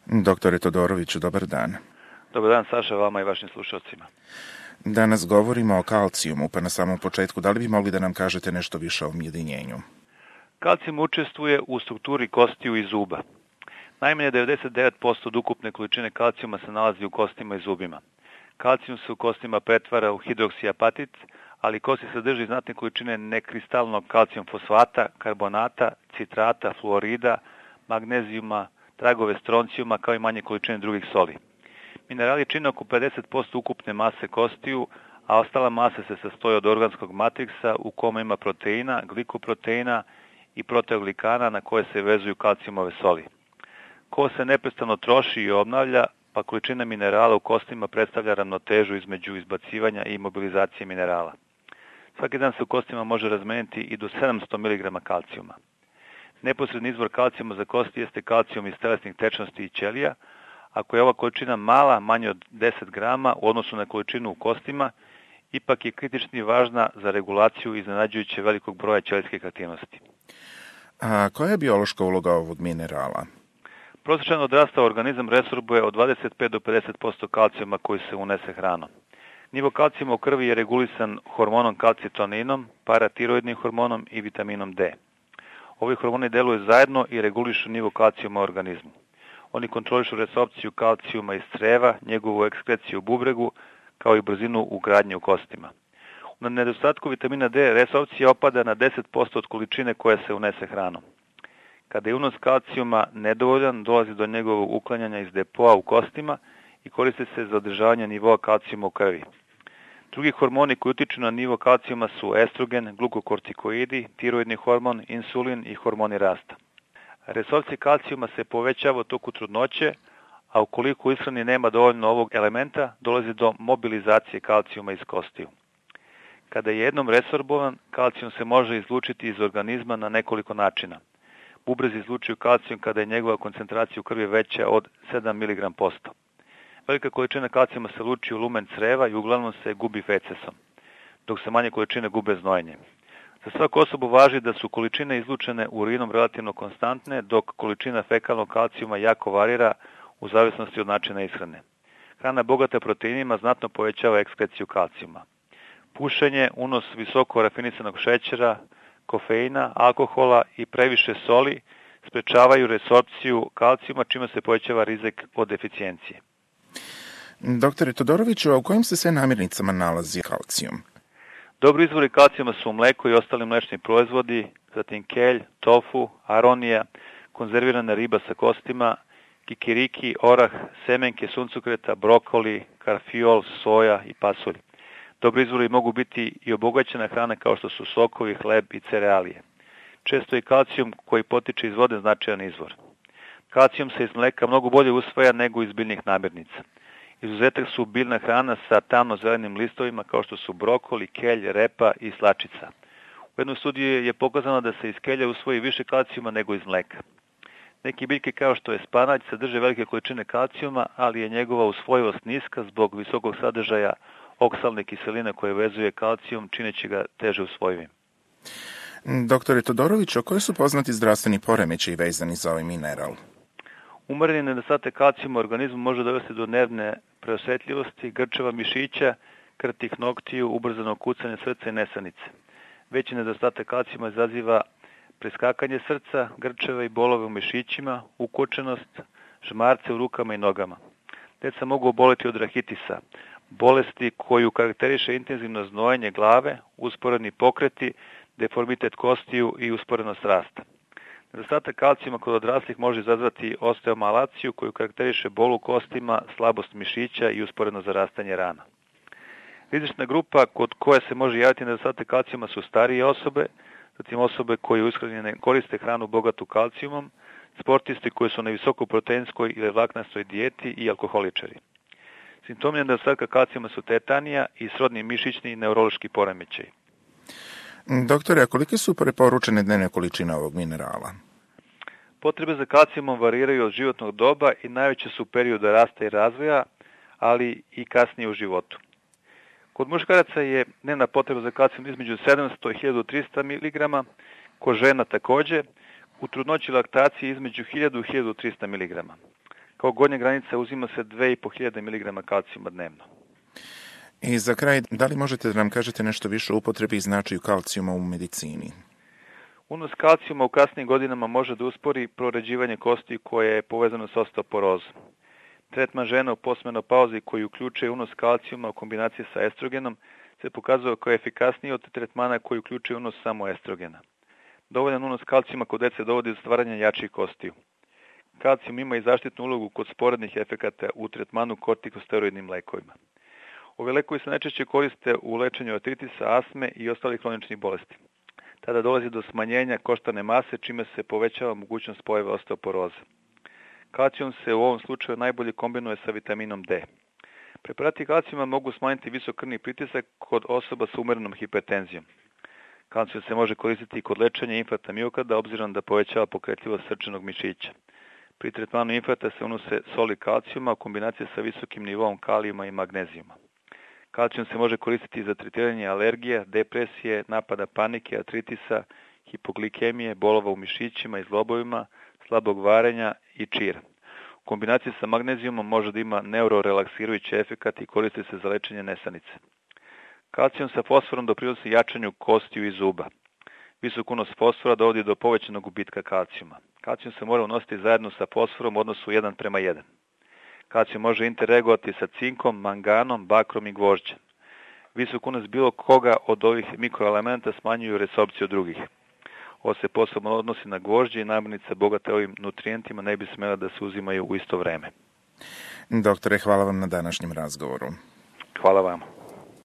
Doktore Todoroviću, dobar dan. Dobar dan, Saša, vama i vašim slušalcima. Danas govorimo o kalcijumu, pa na samom početku, da li bi mogli da nam kažete nešto više o ujedinjenju? Kalcijum učestvuje u strukturi kostiju i zuba. Najmanje 99% od ukupne količine kalcijuma se nalazi u kostima i zubima. Kalcijum se u kostima pretvara u hidroksiapatit, ali kosti sadrži znatne količine nekristalnog kalcijum fosfata, karbonata, citrata, fluorida, magnezijuma, tragove stroncijuma, kao i manje količine drugih soli. Minerali čine oko 50% ukupne mase kostiju, a ostala masa se sastoji od organskog matriksa u kome ima proteina, glikoproteina i proteoglikana na koje se vezuju kalcijumove soli. Kost se neprestano troši i obnavlja, pa količina minerala u kostima predstavlja ravnotežu između izbacivanja i mobilizacije minerala. Svaki dan se u kostima može razmeniti i do 700 mg kalcijuma. Neposredni izvor kalcijuma za kosti jeste kalcijum iz telesnih tečnosti i ćelija. Ako je ova količina mala, manje od 10 grama u odnosu na količinu u kostima, ipak je kritični važna za regulaciju iznenađujuće velikog broja ćelijskih aktivnosti. A koja je biološka uloga ovog minerala? Prosječan odrastao organizam resorbuje od 25 do 50% kalcijuma koji se unese hranom. Nivo kalcijuma u krvi je regulisan hormonom kalcitoninom, paratiroidnim hormonom i vitaminom D. Ovi hormoni deluju zajedno i regulišu nivo kalcijuma u organizmu. Oni kontrolišu resorpciju kalcijuma iz creva, njegovu ekskreciju u bubregu, kao i brzinu ugradnje u kostima. Na nedostatku vitamina D resorpcija opada na 10% od količine koja se unese hranom. Kada je unos kalcijuma nedovoljan, dolazi do njegovog uklanjanja iz depoa u kostima i koriste se za održavanje nivoa kalcijuma u krvi. Drugi hormoni koji utiču na nivo kalcijuma su estrogen, glukokortikoidi, tiroidni hormon, insulin i hormoni rasta. Resorpcija kalcijuma se povećava u toku trudnoće, a ukoliko u ishrani nema dovoljno ovog elementa, dolazi do mobilizacije kalcijuma iz kostiju. Kada je jednom resorbovan, kalcijum se može izlučiti iz organizma na nekoliko načina. Bubrezi izlučuju kalcijum kada je njegova koncentracija u krvi veća od 7 mg%. Velika količina kalcijuma se luči u lumen creva i uglavnom se gubi fecesom, dok se manje količine gube znojenjem. Za svaku osobu važi da su količine izlučene urinom relativno konstantne, dok količina fekalnog kalcijuma jako varira u zavisnosti od načina ishrane. Hrana bogata proteinima znatno povećava ekskreciju kalcijuma. Pušenje, unos visoko rafinisanog šećera, kofeina, alkohola i previše soli sprečavaju resorpciju kalcijuma, čime se povećava rizik od deficijencije. Doktore Todoroviću, a u kojim se sve namirnicama nalazi kalcijum? Dobri izvori kalcijuma su mleko i ostali mlečni proizvodi, zatim kelj, tofu, aronija, konzervirana riba sa kostima, kikiriki, orah, semenke suncokreta, brokoli, karfiol, soja i pasulj. Dobri izvori mogu biti i obogaćena hrana kao što su sokovi, hleb i cerealije. Često je kalcijum koji potiče iz vode značajan izvor. Kalcijum se iz mleka mnogo bolje usvaja nego iz biljnih namirnica. Izuzetak su biljna hrana sa tamno-zelenim listovima kao što su brokoli, kelj, repa i slačica. U jednoj studiji je pokazano da se iz kelja usvoji više kalcijuma nego iz mleka. Neki biljke kao što je spanać sadrže velike količine kalcijuma, ali je njegova usvojivost niska zbog visokog sadržaja oksalne kiseline koje vezuje kalcijum, čineći ga teže usvojivim. Doktore Todoroviću, koji su poznati zdravstveni poremećaji vezani za ovaj mineral? Umereni nedostatak kalcijuma u organizmu može dovesti do nervne preosetljivosti, grčeva mišića, krtih noktiju, ubrzanog kucanja srca i nesanice. Veći nedostatak kalcijuma izaziva preskakanje srca, grčeve i bolove u mišićima, ukočenost, žmarce u rukama i nogama. Deca mogu oboleti od rahitisa, bolesti koju karakteriše intenzivno znojenje glave, usporeni pokreti, deformitet kostiju i usporenost rasta. Nedostatak kalcijuma kod odraslih može izazvati osteomalaciju koju karakteriše bol u kostima, slabost mišića i usporeno zarastanje rana. Rizična grupa kod koje se može javiti nedostatak kalcijuma su starije osobe, zatim osobe koje u ishrani ne koriste hranu bogatu kalcijumom, sportisti koji su na visokoproteinskoj ili vlaknastoj dijeti i alkoholičari. Simptomi nedostatka kalcijuma su tetanija i srodni mišićni i neurološki poremećaj. Doktore, a kolike su preporučene dnevne količine ovog minerala? Potrebe za kalcijumom variraju od životnog doba i najveće su u periodu rasta i razvoja, ali i kasnije u životu. Kod muškaraca je dnevna potreba za kalcijum između 700 i 1300 mg, kod žena također, u trudnoći i laktaciji između 1000 i 1300 mg. Kao gornja granica uzima se 2500 mg kalcijuma dnevno. I za kraj, da li možete da nam kažete nešto više o upotrebi i značaju kalcijuma u medicini? Unos kalcijuma u kasnim godinama može da uspori proređivanje kosti koje je povezano sa osteoporozom. Tretman žena u postmenopauzi koji uključuje unos kalcijuma u kombinaciji sa estrogenom se pokazao kao efikasniji od tretmana koji uključuje unos samo estrogena. Dovoljan unos kalcijuma kod dece dovodi do stvaranja jačih kostiju. Kalcijum ima i zaštitnu ulogu kod sporednih efekata u tretmanu kortikosteroidnim lekovima. Ovi lekovi se najčešće koriste u lečenju artritisa, astme i ostalih hroničnih bolesti. Tada dolazi do smanjenja koštane mase, čime se povećava mogućnost pojave osteoporoze. Kalcijum se u ovom slučaju najbolje kombinuje sa vitaminom D. Preparati kalcijuma mogu smanjiti visok krvni pritisak kod osoba sa umerenom hipertenzijom. Kalcijum se može koristiti i kod lečenja infarkta miokarda, obzirom da povećava pokretljivost srčanog mišića. Pri tretmanu infarkta se unose soli kalcijuma u kombinaciji sa visokim nivoom kalijuma i magnezijuma. Kalcijum se može koristiti za tretiranje alergija, depresije, napada panike, artritisa, hipoglikemije, bolova u mišićima i zglobovima, slabog varenja i čira. U kombinaciji sa magnezijumom može da ima neurorelaksirajući efekat i koristi se za lečenje nesanice. Kalcijum sa fosforom doprinosi jačanju kostiju i zuba. Visok unos fosfora dovodi do povećanog gubitka kalcijuma. Kalcijum se mora unositi zajedno sa fosforom u odnosu 1:1. Kalcijum može interreagovati sa cinkom, manganom, bakrom i gvožđem. Visok unos bilo koga od ovih mikroelementa smanjuju resorpciju drugih. Ovo se posebno odnosi na gvožđe i namirnice bogate ovim nutrijentima ne bi smjela da se uzimaju u isto vreme. Doktore, hvala vam na današnjem razgovoru. Hvala vam.